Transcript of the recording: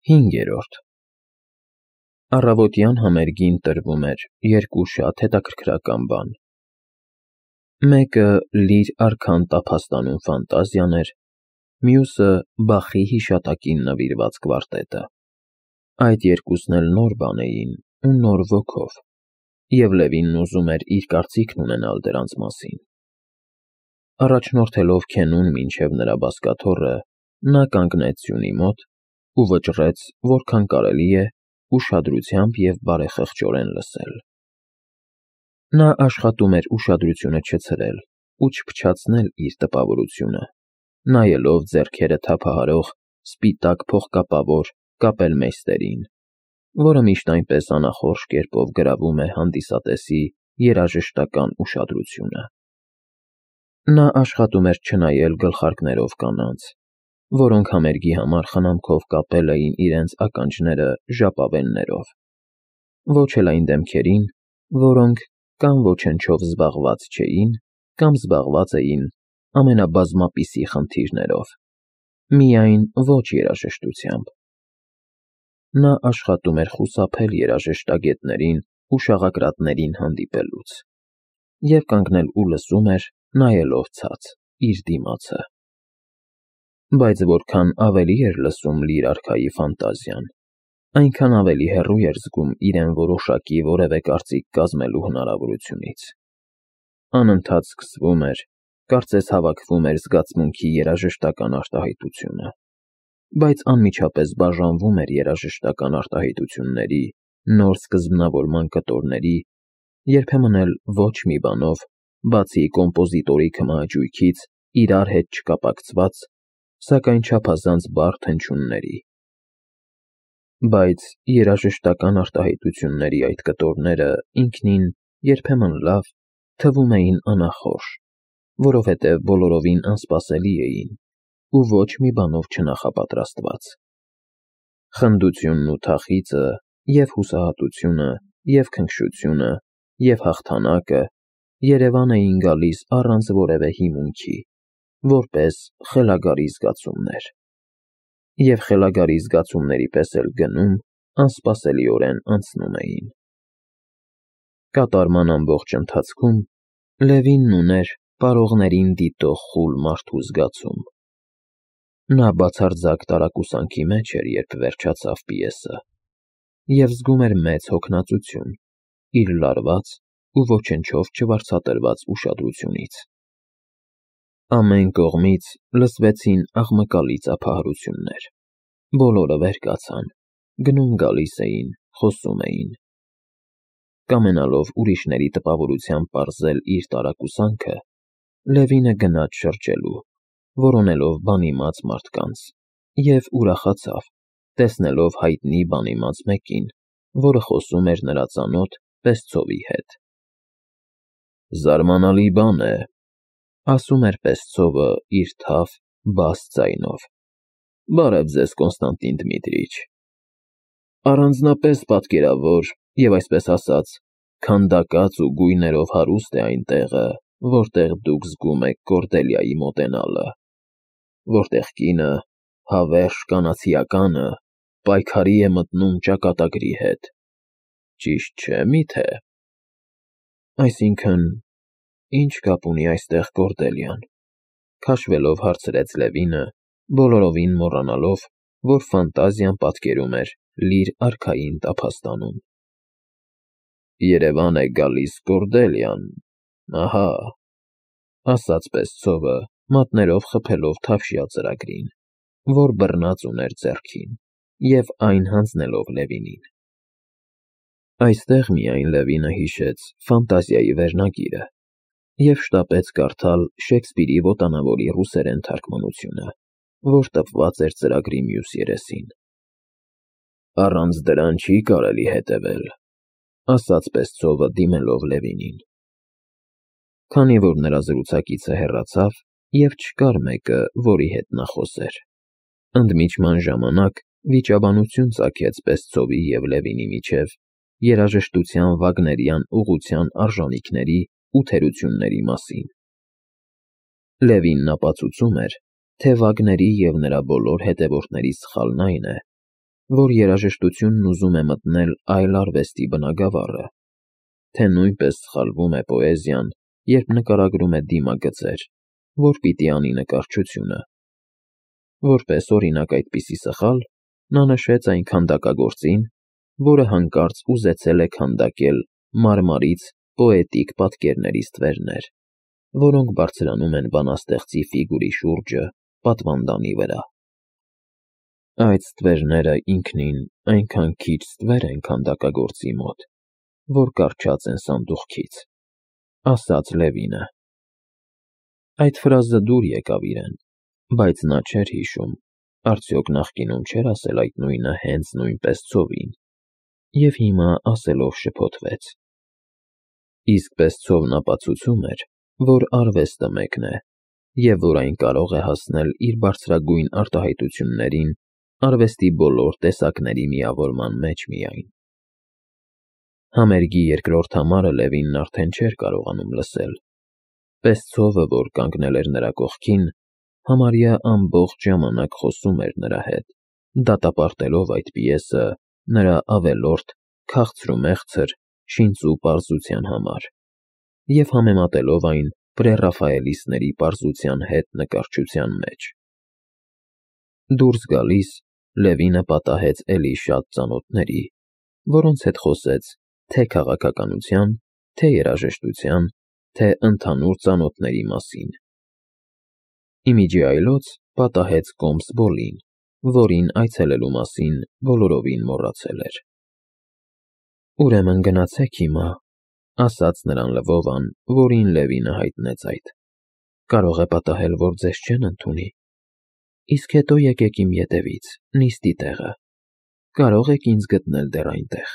5-րդ Առավոտյան համերգին տրվում էր երկու շատ հետաքրքրական բան. մեկը լիր արքան տափաստանում ֆանտազիան էր, մյուսը Բախի հիշատակին նվիրված կվարտետը. այդ երկուսն էլ նոր բան էին ու նոր ոգով, և Լևինն ուզում էր իր կարծիքն ունենալ դրանց մասին: Առաջնորդելով Քենուն մինչև նրա բազկաթոռը, նա կանգնեց սյունի մոտ ու վճռեց, որքան կարելի է, ուշադրությամբ և բարեխղճորեն լսել: Նա աշխատում էր ուշադրությունը չցրել ու չփչացնել իր տպավորությունը, նայելով ձեռքերը թափահարող սպիտակ փողկապավոր կապելմեյստերին, որը միշտ այնպես անախորժ կերպով գրավում է հանդիսատեսի երաժշտական ուշադրությունը: Նա աշխատում էր չնայել գլխարկներով կանանց, որոնք համերգի համար խնամքով կապել էին իրենց ականջները ժապավեններով, ոչ էլ այն դեմքերին, որոնք կամ ոչնչով զբաղված չէին, կամ զբաղված էին ամենաբազմապիսի խնդիրներով, միայն ոչ երաժշտությամբ: Նա աշխատում էր խուսափել երաժշտագետներին ու շաղակրատներին հանդիպելուց և կանգնել ու լսում էր, նայելով ցած, իր դիմացը: Բայց որքան ավելի էր լսում լիր արքայի ֆանտազիան, այնքան ավելի հեռու էր զգում իրեն որոշակի որևէ կարծիք կազմելու հնարավորությունից: Անընդհատ սկսվում էր, կարծես հավաքվում էր զգացմունքի երաժշտական արտահայտությունը, բայց անմիջապես բաժանվում էր երաժշտական արտահայտությունների, նոր սկզբնավորման կտորների, երբեմն էլ ոչ մի բանով, բացի կոմպոզիտորի քմահաճույքից իրար հետ չկապակցված, սակայն չափազանց բարդ հնչյունների: Բայց երաժշտական արտահայտությունների այդ կտորները ինքնին երբեմն լավ, թվում էին անախորժ, որովհետև բոլորովին անսպասելի էին ու ոչ մի բանով չնախապատրաստված: Խնդությունն ու թախիծը, և հուսահատությունը, և քնքշությունը, և հաղթանակը երևան էին գալիս առանց որևէ հիմունքի, որպես խելագարի զգացումներ: Եվ խելագարի զգացումների պես էլ գնում, անսպասելիորեն անցնում էին: Կատարման ամբողջ ընթացքում Լևինն ուներ պարողներին դիտող խուլ մարդու զգացում: Նա բացարձակ տարակուսանքի մեջ էր, երբ վերջացավ պիեսը, և զգում էր մեծ հոգնածություն իր լարված ու ոչնչով չվարձատրված ուշադրությունից: Ամեն կողմից լսվեցին աղմկալի ծափահարություններ, բոլորը վեր կացան, գնում-գալիս էին, խոսում էին: Կամենալով ուրիշների տպավորությամբ պարզել իր տարակուսանքը, Լևինը գնաց շրջելու, որոնելով բանիմաց մարդկանց և ուրախացավ, տեսնելով հայտնի բանիմաց մեկին, որը խոսում էր նրա ծանոթ Պեսցովի հետ: «Զարմանալի բան է,- ասում էր Պեսցովը իր թավ, բաս ձայնով,- բարև ձեզ, Կոնստանտին Դմիտրիչ: Առանձնապես պատկերավոր և, այսպես ասած, քանդակած ու գույներով հարուստ է այն տեղը, որտեղ դուք զգում եք Կորդելիայի մոտենալը, որտեղ կինը, հավերժ կանացիականը, պայքարի է մտնում ճակատագրի հետ, ճիշտ չէ՞ միթե»: «Այսինքն, ի՞նչ կապ ունի այստեղ Կորդելիան,- քաշվելով հարցրեց Լևինը, բոլորովին մոռանալով, որ ֆանտազիան պատկերում էր լիր արքային տափաստանում: «Երևան է գալիս Կորդելիան, ահա,- ասաց Պեսցովը, մատներով խփելով թավշյա ծրագրին, որ բռնած ուներ ձեռքին, և այն հանձնելով Լևինին: Այստեղ միայն Լևինը հիշեց ֆանտազիայի վերնագիրը և շտապեց կարդալ Շեքսպիրի Վոտանավորի ռուսերեն թարգմանությունը, որ տպված էր ծրագրի մյուս երեսին: «Առանց դրան չի կարելի հետևել,- ասաց Պեսցովը, դիմելով Լևինին: Քանի որ նրա զրուցակիցը հեռացավ և չկար մեկը, որի հետ նա խոսեր, ընդմիջման ժամանակ վիճաբանություն ծագեց Պեսցովի և Լևինի միջև երաժշտության վագներյան ուղղության արժանիքների ու թերությունների մասին: Լևինն ապացուցում էր, թե Վագների և նրա բոլոր հետևորդների սխալն այն է, որ երաժշտությունն ուզում է մտնել այլ արվեստի բնագավառը, թե նույնպես սխալվում է պոեզիան, երբ նկարագրում է դիմագծեր, որ պիտի անի նկարչությունը։ Որպես օրինակ այդպիսի սխալ, նա նշեց այն քանդակագործին, որը հանկարծ ուզեցել է քանդակել մարմարից պոետիկ պատկերների ստվերներ, որոնք բարձրանում են բանաստեղծի ֆիգուրի շուրջը պատվանդանի վրա։ Այդ ստվերները ինքնին այնքան քիչ ստվեր են քանդակագործի մոտ, որ կառչած են սանդուղքից, ասաց Լևինը։ Այդ ֆրազը դուր եկավ իրեն, բայց նա չէր հիշում, արդյոք նախկինում չէր ասել այդ նույնը հենց նույնպես ծովին, և հիմա ասելով շփոթվեց։ Իսկ պես ծովն ապացուցում էր, որ արվեստը մեկն է, և որ այն կարող է հասնել իր բարձրագույն արտահայտություններին արվեստի բոլոր տեսակների միավորման մեջ միայն։ Համերգի երկրորդ համարը Լևինն արդեն չէր կարողանում լսել։ Պես ծովը, որ կանգնել էր նրա կողքին, համարյա ամբողջ ժամանակ խոսում էր նրա հետ, դատապարտելով այդ պիեսը նրա ավելորդ, քաղցրումեղցր, շինծու պարզության համար և համեմատելով այն պրեռաֆայելիստների պարզության հետ նկարչության մեջ։ Դուրս գալիս, Լևինը պատահեց էլի շատ ծանոթների, որոնց հետ խոսեց թե քաղաքականության, թե երաժշտության, թե ընդհանուր ծանոթների մասին։ Ի միջի այլոց պատահեց Կոմսբոլին, որին այցելելու մասին բոլորովին մոռացել էր։ Ուրեմն գնացեք հիմա, ասաց նրան Լվովան, որին Լևինը հայտնեց այդ։ Կարող է պատահել, որ ձեզ չեն ընդունի։ Իսկ հետո եկեք իմ ետևից, նիստի տեղը։ Կարող եք ինձ գտնել դեռ այնտեղ։